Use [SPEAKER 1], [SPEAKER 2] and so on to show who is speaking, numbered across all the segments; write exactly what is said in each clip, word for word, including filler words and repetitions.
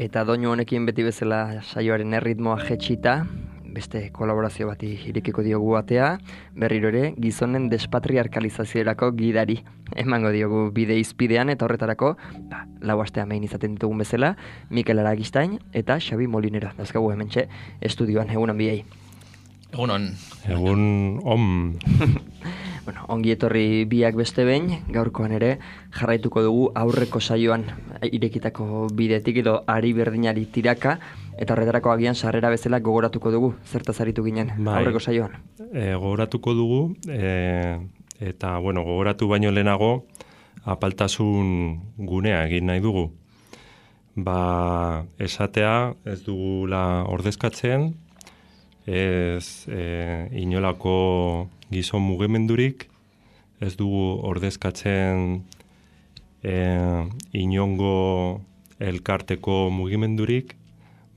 [SPEAKER 1] Eta doinu honekin beti bezala saioaren erritmoa jetxita, beste kolaborazio bati irekiko diogu batea, berriro ere gizonen despatriarkalizaziorako gidari emango diogu bide izpidean, eta horretarako ba, lau astea main izaten ditugun bezala, Mikel Aragistain eta Xabi Molinera. Dauzkagu hementxe estudioan, egunon biei.
[SPEAKER 2] Egunon.
[SPEAKER 3] Egun on.
[SPEAKER 1] Bueno, ongi etorri biak beste behin, gaurkoan ere jarraituko dugu aurreko saioan irekitako bidetik edo ari berdinari tiraka, eta horretarako agian sarrera bezala gogoratuko dugu, zertaz aritu ginen bai, aurreko saioan.
[SPEAKER 3] E, gogoratuko dugu, e, eta bueno, gogoratu baino lehenago apaltasun gunea egin nahi dugu. Ba, esatea ez dugula ordezkatzen, ez e, inolako gizon mugimendurik, ez dugu ordezkatzen e, inongo elkarteko mugimendurik,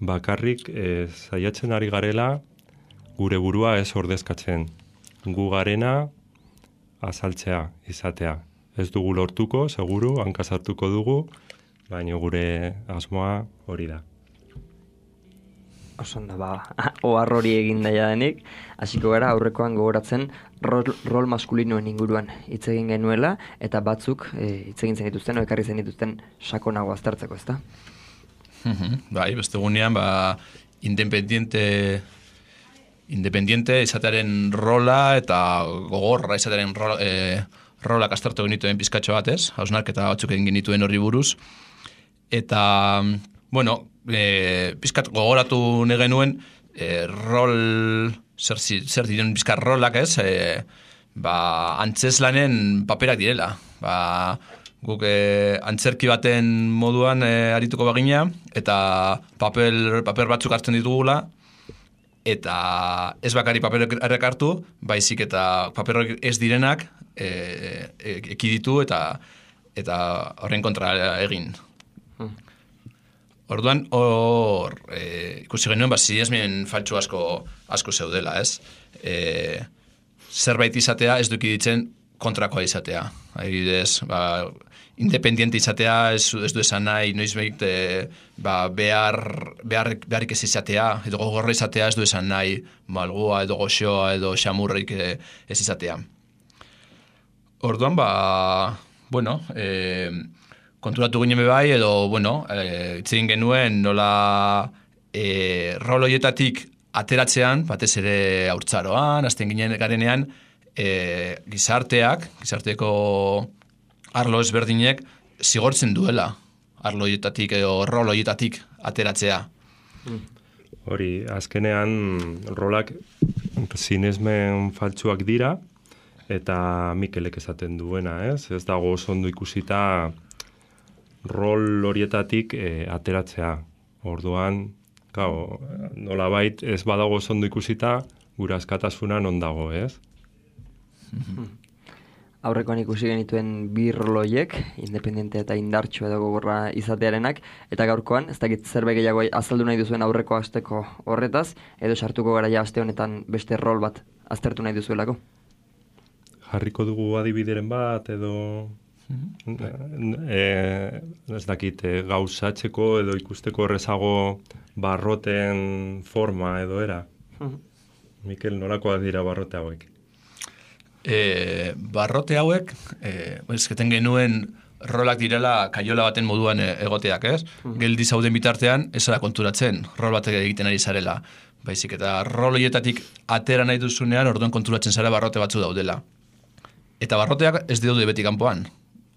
[SPEAKER 3] bakarrik e, saiatzen ari garela gure burua ez ordezkatzen. Gu garena azaltzea, izatea. Ez dugu lortuko, seguru, hankasartuko dugu, baina gure asmoa hori da.
[SPEAKER 1] Osondo, ba, ohar hori egin daia denik, hasiko gara aurrekoan gogoratzen rol, rol maskulinoen inguruan hitz egin genuela, eta batzuk e, hitz egin zenituzten, o ekarri zenituzten sakonago aztertzeko, ezta?
[SPEAKER 2] Bai, beste gunean, ba, independiente, independiente izatearen rola eta gogorra izatearen rola, e, rolak aztertu genituen pizkatxo batez, hausnarketa batzuk egin genituen horri buruz, eta, bueno, E, pizkat gogoratu negenuen e, rol zer, zer diren pizkat rolak ez e, ba, antzeslanen paperak direla ba, guk e, antzerki baten moduan e, arituko bagina eta papel, paper batzuk hartzen ditugula eta ez bakari paperek hartu baizik eta paperok ez direnak e, e, ekiditu eta eta horren kontra egin. Orduan, hor, e, ikusi genuen, ba, sinesmen faltsu asko, asko zeudela, ez? E, zerbait izatea ez duki ditzen kontrakoa izatea. Adibidez, ba, independiente izatea ez, ez du esan nahi, noizbait e, ba, behar, behar, beharrik ez izatea, edo gogorra izatea ez du esan nahi, malgua edo goxoa edo xamurrik ez izatea. Orduan, ba, bueno, e, konturatu ginen bai, edo, bueno, e, itzegin genuen nola e, rol horietatik ateratzean, batez ere haurtzaroan, azten ginen garenean, e, gizarteak, gizarteko arlo ezberdinek, zigortzen duela arlo horietatik edo rol horietatik ateratzea.
[SPEAKER 3] Hori, azkenean rolak sinesmen faltsuak dira, eta Mikelek esaten duena, ez? Ez dago oso ondo ikusita rol horietatik e, ateratzea. Orduan, gau, nolabait ez badago ondo ikusita, gure askatasuna non dago, ez?
[SPEAKER 1] Aurrekoan ikusi genituen bi rol horiek, independente eta indartsu edo gogorra izatearenak, eta gaurkoan, ez dakit zerbait gehiago azaldu nahi duzuen aurreko asteko horretaz, edo sartuko gara ja aste honetan beste rol bat aztertu nahi duzuelako?
[SPEAKER 3] Jarriko dugu adibideren bat, edo E, ez dakit, e, gauzatzeko edo ikusteko errezago barroten forma edo era. Mikel, nolakoak dira barrote hauek?
[SPEAKER 2] E, barrote hauek, e, ezketen genuen rolak direla kaiola baten moduan egoteak, ez? Geldi zauden bitartean, ez da konturatzen, rol batek egiten ari zarela. Baizik eta rol horietatik atera nahi duzunean, orduan konturatzen zara barrote batzu daudela. Eta barroteak ez daude beti kanpoan.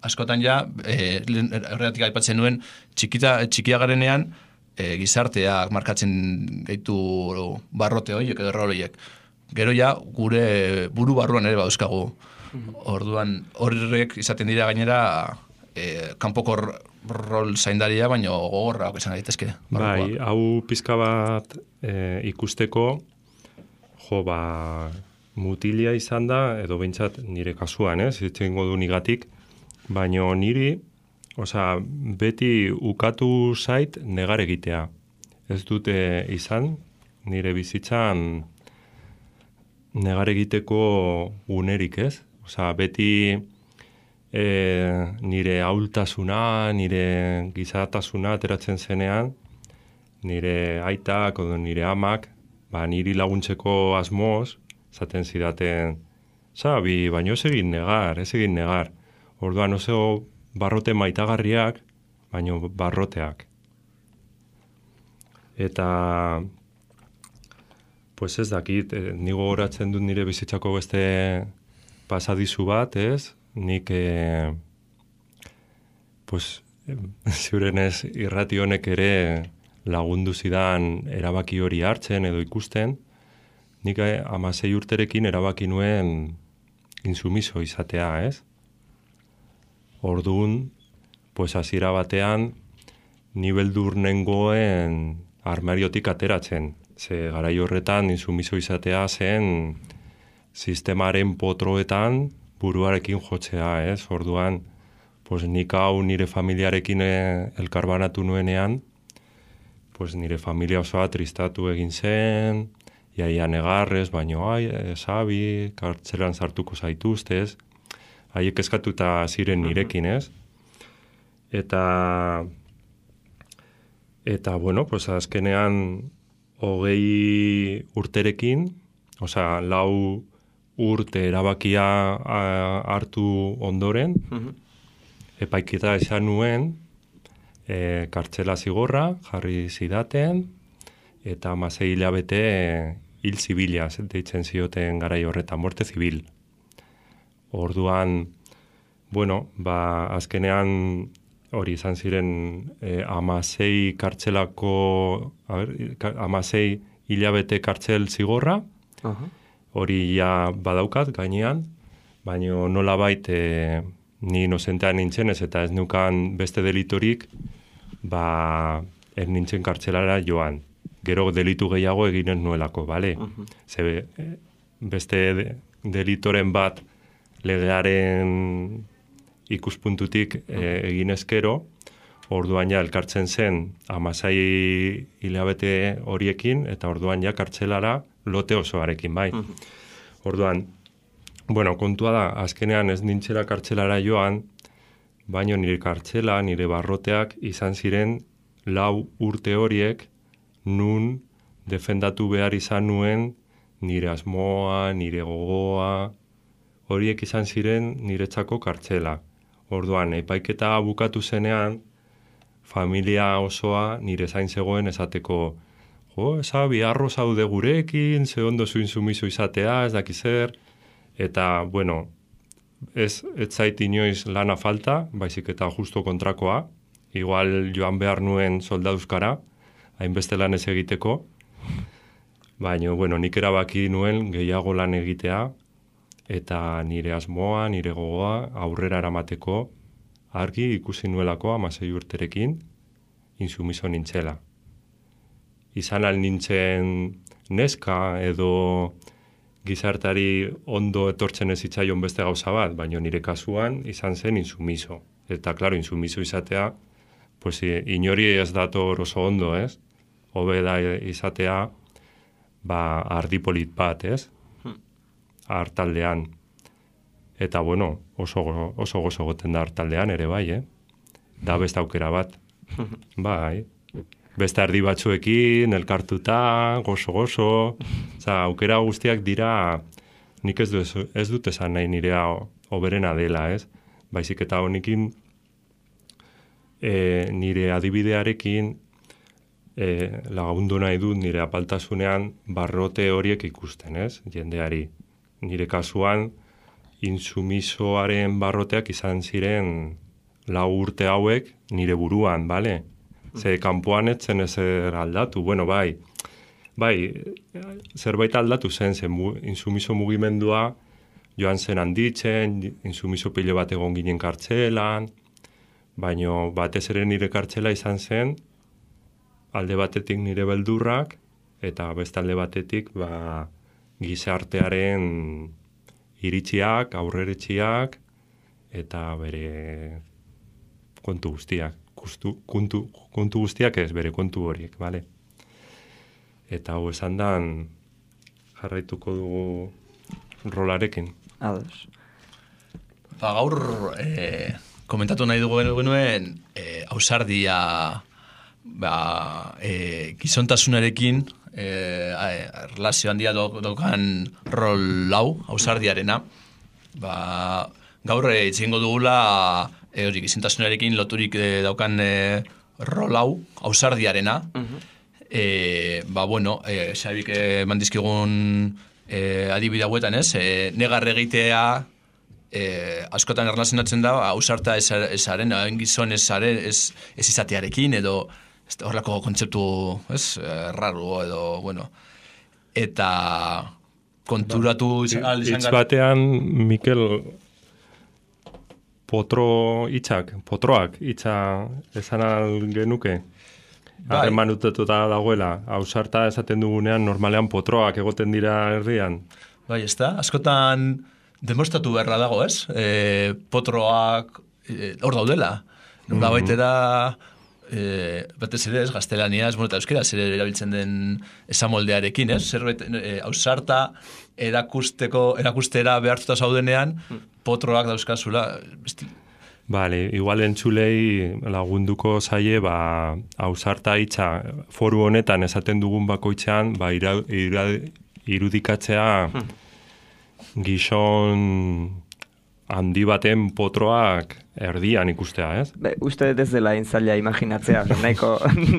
[SPEAKER 2] Askotan ja, e, horregatik aipatzen nuen, txikita, txikia garenean, e, gizarteak markatzen gaitu barrote horiek edo rol horiek. Gero ja, gure buru barruan ere bauzkagu. Orduan, horrek izaten dira gainera, e, kanpoko rol zaindaria, baino gogorra, esan daitezke.
[SPEAKER 3] Bai, hau pizka bat e, ikusteko, jo, ba, mutilia izan da, edo behintzat nire kasuan, ez, itxengo du nigatik, baina niri, osea, beti ukatu zait negar egitea. Ez dute izan, nire bizitzan negar egiteko unerik, ez? Osea, beti e, nire ahultasuna, nire gizatasuna ateratzen zenean, nire aitak, edo nire amak, ba, niri laguntzeko asmoz, zaten zidaten, Sabi, baino ez egin negar, ez egin negar. Orduan oso barrote maitagarriak, baino barroteak. Eta, pues ez dakit, eh, nigo goratzen dut nire bizitzako beste pasadizu bat, ez? Nik, eh, pues, ziurenez irrati honek ere lagundu zidan erabaki hori hartzen edo ikusten, nik eh, amasei urterekin erabaki nuen insumiso izatea, ez? Orduan, pues hasiera batean, ni beldur nengoen armariotik ateratzen. Ze garai horretan insumiso izatea zen sistemaren potroetan buruarekin jotzea, ez? Orduan, pues nik hau nire familiarekin elkarbanatu nuenean, pues nire familia osoa tristatu egin zen, iaia negarrez, baino, ai, Sabi, kartzelan sartuko zaituztez, haiek eskatuta ziren nirekin, ez? Eta, eta bueno, pues azkenean hogei urterekin, osea, lau urte erabakia a, hartu ondoren, epaiketa esan nuen, e, kartzela zigorra, jarri zidaten, eta hamasei hilabete e, hil zibila, deitzen zioten garai horretan, muerte zibil. Orduan, bueno, ba, azkenean hori izan ziren eh, amasei kartzelako, a ber, amasei hilabete kartzel zigorra, uh-huh. Hori ja badaukat gainean, baina nola bait eh, ni inozentean nintzenez eta ez nukan beste delitorik, ba, ez nintzen kartzelara joan. Gero delitu gehiago eginen nuelako, bale? Uh-huh. Ze, beste de, delitoren bat legearen ikuspuntutik e, egin ezkero, orduan ja elkartzen zen hamasei hilabete horiekin, eta orduan ja kartzelara lote osoarekin, bai. Uh-huh. Orduan, bueno, kontua da, azkenean ez nintzela kartzelara joan, baino nire kartzela, nire barroteak izan ziren lau urte horiek nun defendatu behar izan nuen nire asmoa, nire gogoa, horiek izan ziren niretzako kartzela. Orduan, epaiketa bukatu zenean, familia osoa nire zain zegoen esateko, jo, Sabi, arro zaude gurekin, ze ondo zu insumiso izatea, ez daki zer, eta, bueno, ez, ez zait inoiz lana falta, baizik eta justo kontrakoa, igual joan behar nuen soldaduzkara, hainbeste lan ez egiteko, baina, bueno, nik erabaki nuen gehiago lan egitea, eta nire asmoa, nire gogoa, aurrera eramateko, argi ikusi nuelako hamasei urterekin, insumiso nintzela. Izan al nintzen neska edo gizartari ondo etortzen ez zitzaion beste gauza bat, baina nire kasuan izan zen insumiso. Eta, klaro, insumiso izatea, pues, inori ez dator oso ondo, ez? Hobe da izatea, ba, ardipolit bat, ez? Hartaldean. Eta, bueno, oso, oso gozo goten da hartaldean ere bai, eh? Da beste aukera bat. Bai. Beste ardi batzuekin, elkartuta, gozo-gozo. Oza, aukera guztiak dira, nik ez, du, ez dut esan nahi nirea oberena dela, ez? Baizik eta honekin, e, nire adibidearekin, e, lagundu nahi dut nire apaltasunean barrote horiek ikusten, ez? Jendeari. Nire kasuan, insumisoaren barroteak izan ziren lau urte hauek nire buruan, bale? Ze kanpoan etzen ezer aldatu, bueno, bai, bai, zerbait aldatu zen, zen insumiso mugimendua joan zen handitzen, insumiso pilo bat egon ginen kartzelan, baino batez ere nire kartzela izan zen, alde batetik nire beldurrak, eta beste alde batetik, ba, gizartearen iritziak, aurreritziak, eta bere kontu guztiak. Kustu, kontu, kontu guztiak ez, bere kontu horiek, bale? Eta hau esan dan jarraituko dugu rolarekin.
[SPEAKER 1] Ados.
[SPEAKER 2] Ba, gaur eh, komentatu nahi dugu genuen eh, ausardia ba, e, gizontasunarekin e, relazio handia daukan rol lau, ausardiarena, ba, gaur itzingo dugula e, hori, gizontasunarekin loturik e, daukan e, rol hau, ausardiarena, uh-huh. e, ba, bueno, e, Xabik eman dizkigun e, adibide hauetan, ez? E, negar egitea e, askotan erlazionatzen da, ausarta ezaren, hain gizon ezaren, ez, ez izatearekin, edo horrelako kontzeptu, ez, erraru, edo, bueno, eta konturatu izan...
[SPEAKER 3] Itz batean, Mikel, potro hitzak, potroak hitza esan al genuke, harreman utetuta dagoela, ausarta esaten dugunean, normalean potroak egoten dira herrian.
[SPEAKER 2] Bai, ez da, askotan demostratu beharra dago, ez? E, potroak e, hor daudela. Nola mm-hmm. baitera... E, batez ere, ez, gaztelaniaz, bueno, eta euskera, zer erabiltzen den esamoldearekin, ez? Zerbait, e, ausarta erakusteko, erakustera behartuta zaudenean, potroak dauzkazula. Besti...
[SPEAKER 3] Vale, igual entzulei lagunduko zaie, ba, ausarta hitza foru honetan esaten dugun bakoitzean, ba, ira, ira, irudikatzea hmm. gizon handi baten potroak erdian ikustea, ez?
[SPEAKER 1] Be, uste ez dela inzaila imaginatzea, nahiko,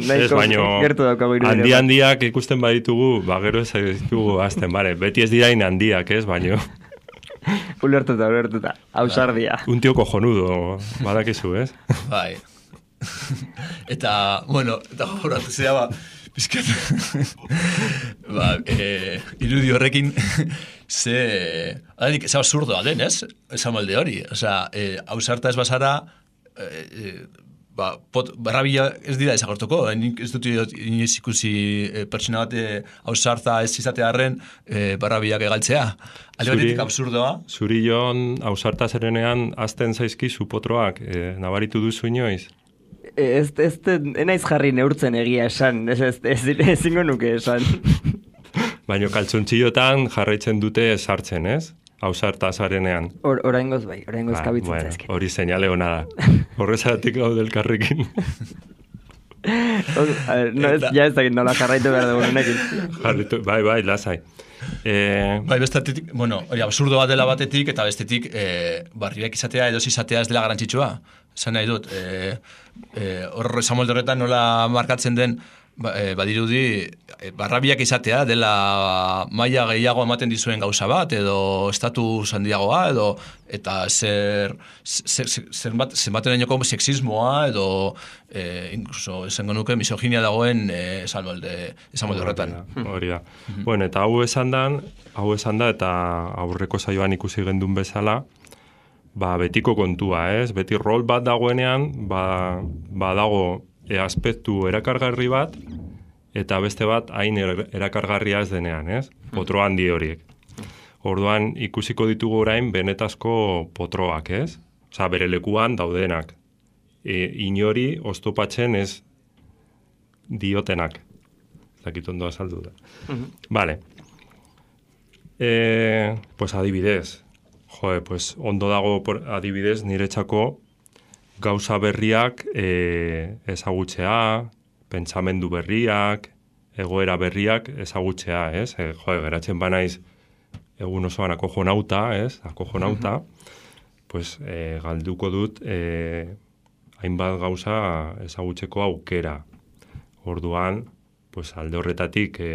[SPEAKER 1] nahiko gertu daukagu irudire.
[SPEAKER 3] Handi handiak ikusten baditugu, ba, gero ez ditugu azten, bare, beti ez dira handiak, ez, baino.
[SPEAKER 1] Ulertuta, ulertuta, ausardia.
[SPEAKER 3] Un tío cojonudo, badakizu, ez?
[SPEAKER 2] Bai. Eta, bueno, eta horatu zera, ba, bizkat, ba, e, irudi horrekin, ze, adanik, ze absurdoa den, ez? Esan molde hori, osea, e, ausarta ez bazara, e, e, ba, pot, barrabila ez dira ezagortuko, nik ez dut inoiz ikusi e, pertsona bat ausarta ez izatearen e, barrabilak egaltzea. Alde absurdoa.
[SPEAKER 3] Zuri Jon, ausarta zerenean, azten zaizkizu potroak, e, nabaritu duzu inoiz?
[SPEAKER 1] Ez, ez, enaiz jarri neurtzen egia esan, ez, ez, ez, ez ezingo nuke esan.
[SPEAKER 3] Baina kaltzontxillotan jarraitzen dute sartzen, ez? Ausarta zarenean.
[SPEAKER 1] Or, oraingoz bai, oraingoz ba, kabitzen
[SPEAKER 3] bueno,
[SPEAKER 1] zaizkin.
[SPEAKER 3] Hori seinale hona da. Horrezaratik gaude elkarrekin.
[SPEAKER 1] No, ez, ja ez dakit nola jarraitu behar dugu honekin.
[SPEAKER 3] Jarritu, bai, bai, lasai. Eh...
[SPEAKER 2] Bai, bestetik, bueno, hori absurdo bat dela batetik, eta bestetik eh, barriak izatea edo izatea ez dela garantzitsua. Zan nahi dut, eh, eh, horre zamolde horretan nola markatzen den, ba, eh, badirudi, eh, barrabiak izatea dela maila gehiago ematen dizuen gauza bat, edo estatu handiagoa, edo eta zer, zer, zer, zer bat, zenbaten dainoko sexismoa, edo eh, incluso esango nuke misoginia dagoen eh, esan molde, esan molde horretan.
[SPEAKER 3] Hori da. Mm-hmm. Bueno, eta hau esan dan, hau esan da, eta aurreko saioan ikusi gendun bezala, ba, betiko kontua, ez? Beti rol bat dagoenean, ba, ba dago e aspektu erakargarri bat, eta beste bat hain erakargarria ez denean, ez? Potro handi horiek. Orduan, ikusiko ditugu orain benetazko potroak, ez? Osa, bere lekuan daudenak. E, inori oztopatzen ez diotenak. Zakit ondo azaldu da. Uh-huh. Vale. E, pues adibidez. Joe, pues ondo dago por, adibidez niretzako gauza berriak e, ezagutzea, pentsamendu berriak, egoera berriak ezagutzea, ez? E, joe, geratzen banaiz egun osoan akojonauta, ez? Akojonauta, uh-huh. pues e, galduko dut e, hainbat gauza ezagutzeko aukera. Orduan, pues alde horretatik e,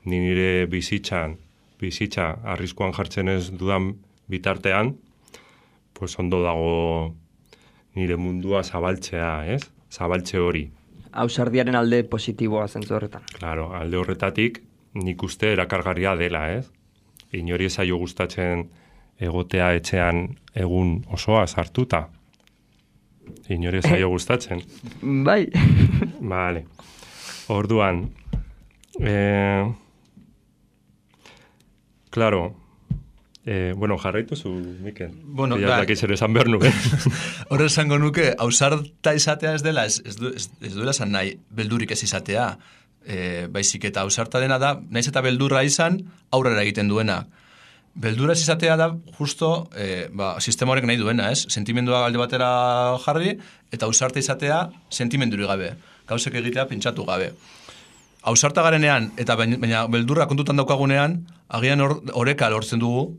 [SPEAKER 3] ni nire bizitzan, bizitza arriskuan jartzen ez dudan bitartean, pues ondo dago nire mundua zabaltzea, ez? Zabaltze hori.
[SPEAKER 1] Ausardiaren alde positiboa zentzu horretan.
[SPEAKER 3] Claro, alde horretatik nik uste erakargarria dela, ez? Inori zaio gustatzen egotea etxean egun osoa sartuta. Inori zaio gustatzen.
[SPEAKER 1] Bai.
[SPEAKER 3] Vale. Orduan, eh, claro, Eh, bueno, jarraitu zu, Mikel.
[SPEAKER 2] Bueno,
[SPEAKER 3] ja, da, zer esan behar nuke.
[SPEAKER 2] Horre esango nuke, ausarta izatea ez dela, ez, ez, du, ez, ez duela esan nahi, beldurik ez izatea. E, baizik eta ausarta dena da, naiz eta beldurra izan, aurrera egiten duena. Beldurra ez izatea da, justo, e, ba, sistema horrek nahi duena, ez? Sentimendua alde batera jarri, eta ausarta izatea, sentimendurik gabe. gauzek egitea pentsatu gabe. Ausarta garenean, eta baina beldurra kontutan daukagunean, agian oreka lortzen dugu,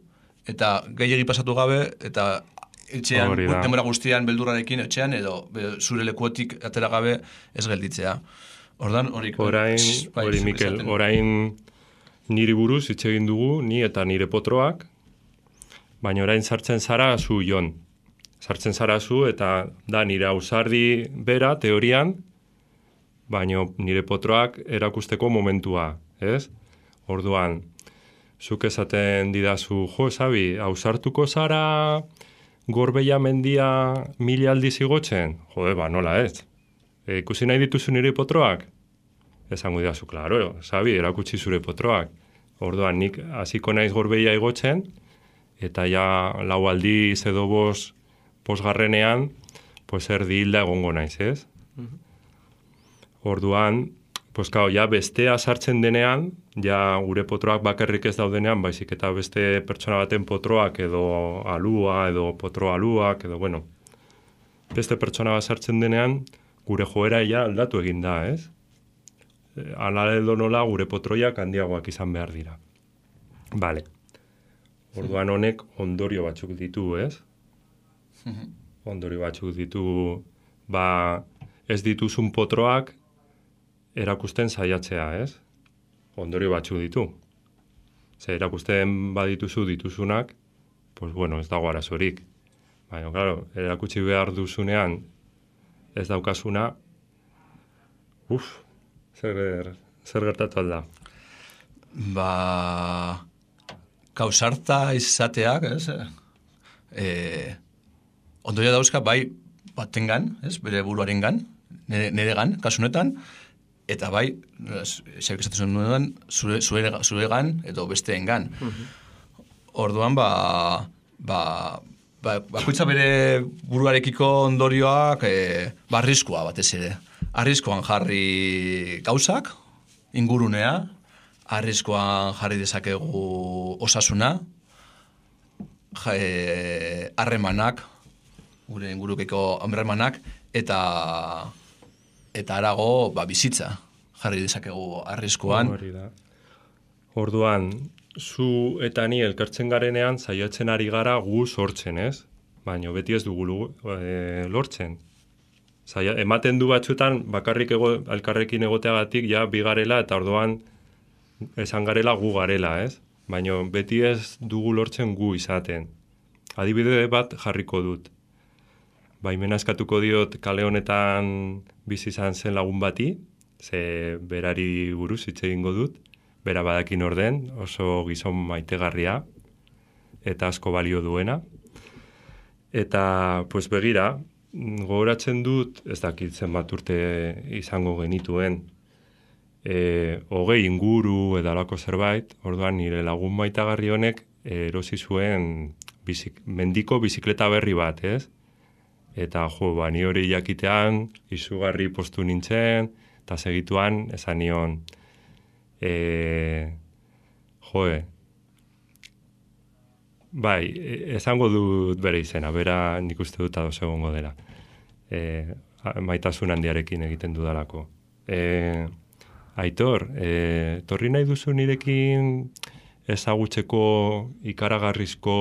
[SPEAKER 2] eta gehiegi pasatu gabe, eta etxean, denbora guztian beldurrarekin etxean, edo zure lekuetik atera gabe ez gelditzea. Ordan horik...
[SPEAKER 3] Orain, hori Mikel, orain niri buruz hitz egin dugu, ni eta nire potroak, baina orain sartzen zara zu Jon. Sartzen zara zu, eta da nire ausardi bera, teorian, baina nire potroak erakusteko momentua, ez? Orduan, zuk esaten didazu, jo, Xabi, ausartuko zara Gorbeia mendia mila aldiz igotzen? Jode, ba, nola ez? E, ikusi nahi dituzu nire potroak? Esango didazu, klaro, Xabi, erakutsi zure potroak. Orduan, nik hasiko naiz Gorbeia igotzen, eta ja lau aldiz edo bos posgarrenean, pues erdi hilda egongo naiz, ez? Orduan, pues claro, ja bestea sartzen denean, ja gure potroak bakarrik ez daudenean, baizik eta beste pertsona baten potroak edo alua, edo potro aluak, edo bueno, beste pertsona bat sartzen denean, gure joera ja aldatu egin da, ez? Ala edo nola gure potroiak handiagoak izan behar dira. Vale. Orduan honek ondorio batzuk ditu, ez? Ondorio batzuk ditu, ba, ez dituzun potroak erakusten saiatzea, ez? Ondorio batzuk ditu. Ze erakusten badituzu dituzunak, pues bueno, ez dago arazorik. Baina, claro, erakutsi behar duzunean ez daukasuna, uf, zer, zer gertatu alda.
[SPEAKER 2] Ba, kausarta izateak, ez? E, ondorio dauzka, bai, batengan, ez? Bere buruarengan, nere, neregan, kasunetan, eta bai, xabik esatzen nuen, zure, zure, zuregan edo besteengan. Uh-huh. Orduan, ba, ba, ba, bakoitza bere buruarekiko ondorioak e, ba, arriskua batez ere. Arriskoan jarri gauzak, ingurunea, arriskoan jarri dezakegu osasuna, harremanak, gure ingurukeko harremanak, eta... eta arago, ba, bizitza jarri dezakegu arriskuan.
[SPEAKER 3] Orduan, zu eta ni elkartzen garenean saiatzen ari gara gu sortzen, ez? Baina beti ez dugu e, lortzen. Zaila, ematen du batzutan bakarrik ego, elkarrekin egoteagatik ja bigarela eta orduan esan garela gu garela, ez? Baina beti ez dugu lortzen gu izaten. Adibide bat jarriko dut. Baimena eskatuko diot kale honetan bizi izan zen lagun bati, ze berari buruz hitz egingo dut, bera badakin orden, oso gizon maitegarria, eta asko balio duena. Eta, pues begira, gogoratzen dut, ez dakit zenbat urte izango genituen, e, hogei inguru edalako zerbait, orduan nire lagun maitagarri honek erosi zuen bizik, mendiko bizikleta berri bat, ez? Eta, jo, ba, ni hori jakitean, izugarri postu nintzen, eta segituan, esan nion, e, joe, bai, esango dut bere izena, bera nik uste dut ados egongo dela. E, maitasun handiarekin egiten dudalako. E, Aitor, e, torri nahi duzu nirekin ezagutzeko ikaragarrizko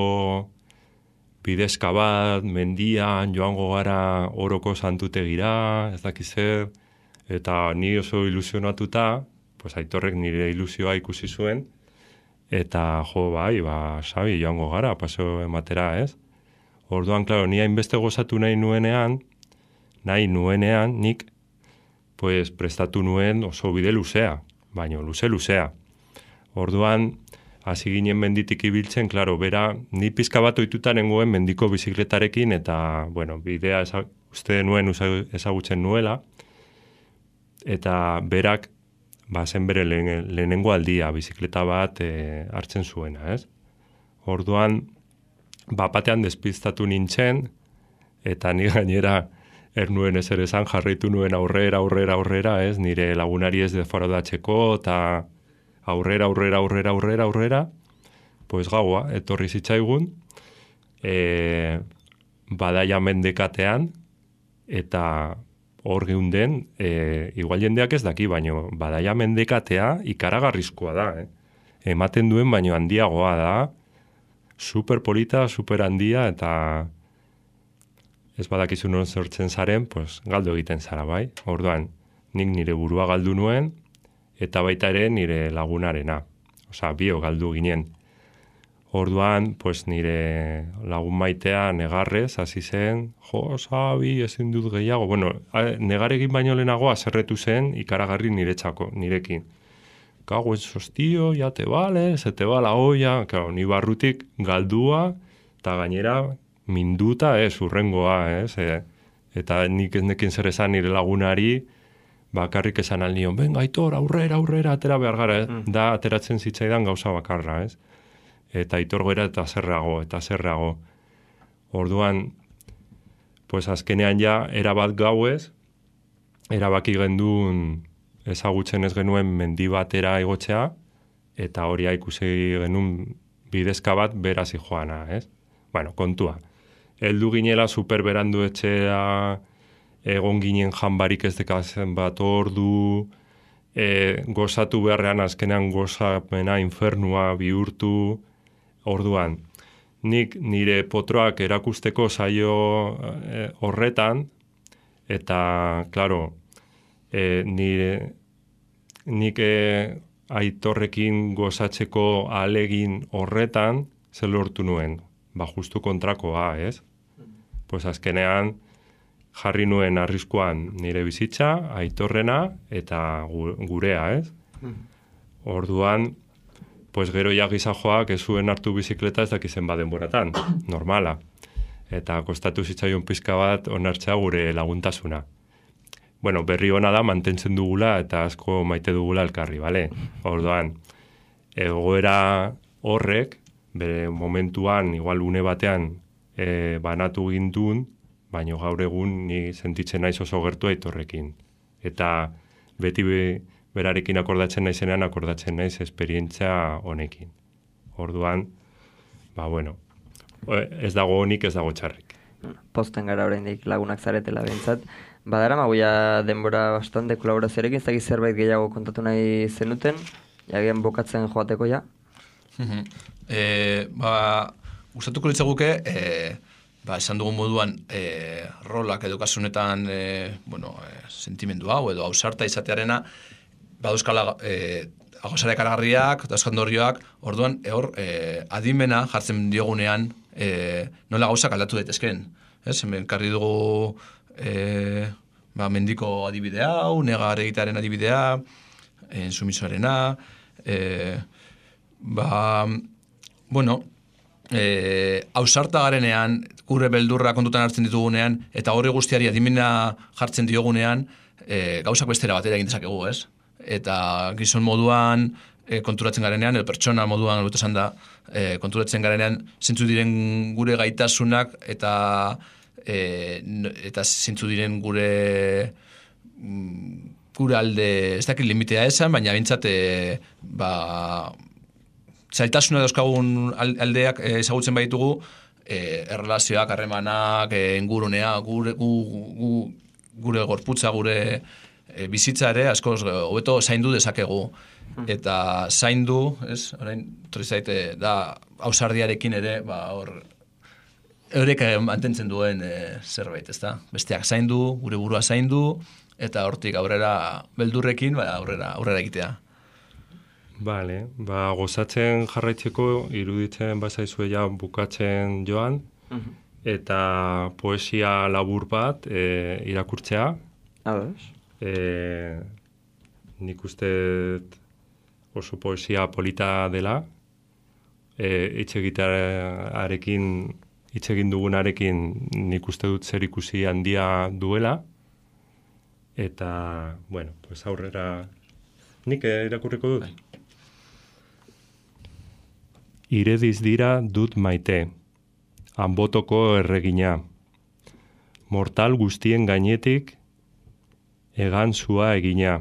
[SPEAKER 3] bidezka bat, mendian, joango gara oroko santutegira, ez dakiz zer, eta ni oso ilusionatuta, pues Aitorrek nire ilusioa ikusi zuen, eta jo, bai, ba, Xabi, joango gara, paso ematera, ez? Orduan, klaro, ni hainbeste gozatu nahi nuenean, nahi nuenean, nik, pues, prestatu nuen oso bide luzea, baino, luze-luzea. Orduan, hasi ginen menditik ibiltzen, klaro, bera, ni pizka bat ohituta nengoen mendiko bizikletarekin, eta, bueno, bidea eza, uste nuen ezagutzen nuela, eta berak, ba, zen bere lehen, lehenengo aldia, bizikleta bat e, hartzen zuena, ez? Orduan, bapatean despistatu nintzen, eta ni gainera ernuen ezer esan jarraitu nuen aurrera, aurrera, aurrera, ez? Nire lagunari ez deforodatzeko, eta aurrera, aurrera, aurrera, aurrera, aurrera, pues gaua, etorri zitzaigun, e, badaia mendekatean, eta hor geunden, e, igual jendeak ez daki, baino badaia mendekatea ikaragarrizkoa da, eh? Ematen duen baino handiagoa da, super polita, super handia, eta ez badakizu non sortzen zaren, pues, galdu egiten zara, bai? Orduan, nik nire burua galdu nuen, eta baita ere nire lagunarena. Osa, bio galdu ginen. Orduan, pues, nire lagun maitea negarrez, hasi zen, jo, sabi, ezin dut gehiago. Bueno, negaregin baino lehenago azerretu zen ikaragarri niretzako, nirekin. Kago ez sostio, ya te vale, se te va la olla. Claro, ni barrutik galdua, eta gainera minduta, ez, urrengoa, ez. E, eta nik ez nekin zer esan nire lagunari, bakarrik esan alnion, venga, Aitor, aurrera, aurrera, atera behar gara, mm. da ateratzen zitzaidan gauza bakarra, ez. Eta Aitor goera eta zerrago, eta zerrago. Orduan, pues azkenean ja, erabat gauez, erabaki gendun ezagutzen ez genuen mendi batera igotzea, eta hori ikusi genuen bidezka bat berazi joana, ez? Bueno, kontua. Heldu ginela superberandu etxea, egon ginen janbarik ez dekazen bat ordu, e, gozatu beharrean azkenean gozapena infernua bihurtu, orduan. Nik nire potroak erakusteko saio e, horretan, eta, klaro, e, nire, nik e, Aitorrekin gozatzeko ahalegin horretan, zer lortu nuen, ba justu kontrakoa, ez? Pues azkenean, jarri nuen arriskuan nire bizitza, Aitorrena, eta gurea, ez? Orduan, pues gero ja gizajoak ez zuen hartu bizikleta ez dakizen baden boratan, normala. Eta kostatu zitzaion pizka bat onartzea gure laguntasuna. Bueno, berri ona da mantentzen dugula eta asko maite dugula elkarri, bale? Orduan, egoera horrek, bere momentuan, igual une batean, e, banatu gindun, baina gaur egun ni sentitzen naiz oso gertu Aitorrekin. Eta beti be, berarekin akordatzen naizenean, akordatzen naiz esperientzia honekin. Orduan, ba bueno, ez dago honik, ez dago txarrik.
[SPEAKER 1] Posten gara oraindik lagunak zaretela behintzat. Badara magoia denbora bastante kolaborazioarekin, ez dakiz zerbait gehiago kontatu nahi zenuten, jagian bokatzen joateko ja?
[SPEAKER 2] e, ba, gustatuko litzaguke, e, ba, esan dugun moduan, e, rolak edo kasunetan, e, bueno, e, sentimendu hau edo ausarta izatearena, baduzkala e, agosare karagarriak, dauzkandorioak, orduan, hor, e, adimena jartzen diogunean, e, nola gauzak aldatu daitezkeen. Ez, hemen karri dugu e, ba, mendiko adibidea hau, negar egitearen adibidea, ensumisoarena, e, ba, bueno, e, ausarta garenean, gure beldurra kontutan hartzen ditugunean, eta horri guztiari adimena jartzen diogunean, e, gauzak bestera batera egin dezakegu, ez? Eta gizon moduan e, konturatzen garenean, edo pertsona moduan esan da, e, konturatzen garenean zintzu diren gure gaitasunak eta e, eta zintzu diren gure gure alde, ez dakit limitea esan, baina bintzat e, ba, zailtasuna dauzkagun aldeak e, ezagutzen baitugu, e, erlazioak, harremanak, e, ingurunea, gure, gu, gu, gure gorputza, gure e, bizitza ere, askoz, hobeto zaindu dezakegu. Eta zaindu, ez, orain, zaite, da, ausardiarekin ere, ba, hor, eurek mantentzen duen e, zerbait, ez da? Besteak zaindu, gure burua zaindu, eta hortik aurrera beldurrekin, ba, aurrera, aurrera egitea.
[SPEAKER 3] Bale, ba, gozatzen jarraitzeko iruditzen bazaizue ja bukatzen joan, uh-huh. eta poesia labur bat e, irakurtzea.
[SPEAKER 1] Ados.
[SPEAKER 3] E, nik uste oso poesia polita dela, e, hitz egin dugunarekin nik uste dut zer ikusi handia duela, eta, bueno, pues aurrera nik irakurriko dut. Irediz dira dut maite, hanbotoko erregina. Mortal guztien gainetik, egan zua egina.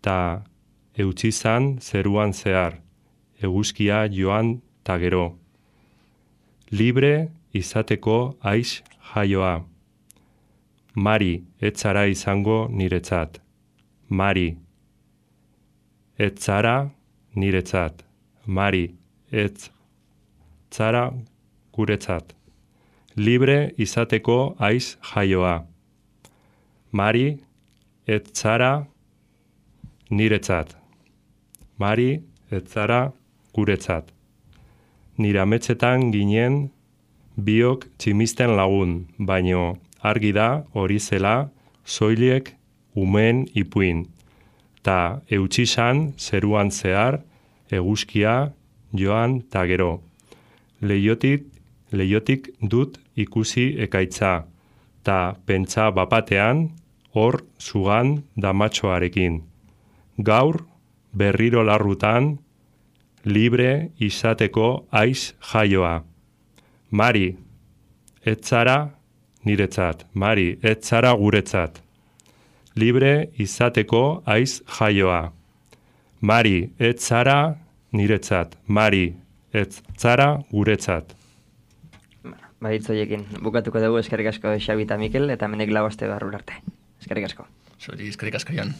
[SPEAKER 3] Ta eutxizan zeruan zehar, eguzkia joan ta gero. Libre izateko aiz jaioa. Mari, ez zara izango niretzat. Mari, ez zara niretzat. Mari, ez zara guretzat. Libre izateko aiz jaioa. Mari, ez zara niretzat. Mari, ez zara guretzat. Nire ametsetan ginen biok tximisten lagun, baino argi da hori zela soiliek umen ipuin. Ta eutxisan zeruan zehar eguzkia joan ta gero. Leiotik, leiotik dut ikusi ekaitza, ta pentsa bapatean hor zugan damatxoarekin. Gaur berriro larrutan libre izateko aiz jaioa. Mari, ez zara niretzat. Mari, ez zara guretzat. Libre izateko aiz jaioa. Mari, ez zara niretzat. Mari, ez zara guretzat.
[SPEAKER 1] Baditzoiekin, bukatuko dugu eskerrik asko Xabi eta Mikel, eta menek lau aste barrur arte. Eskerrik asko.
[SPEAKER 2] Zuri, eskerrik asko, Jon.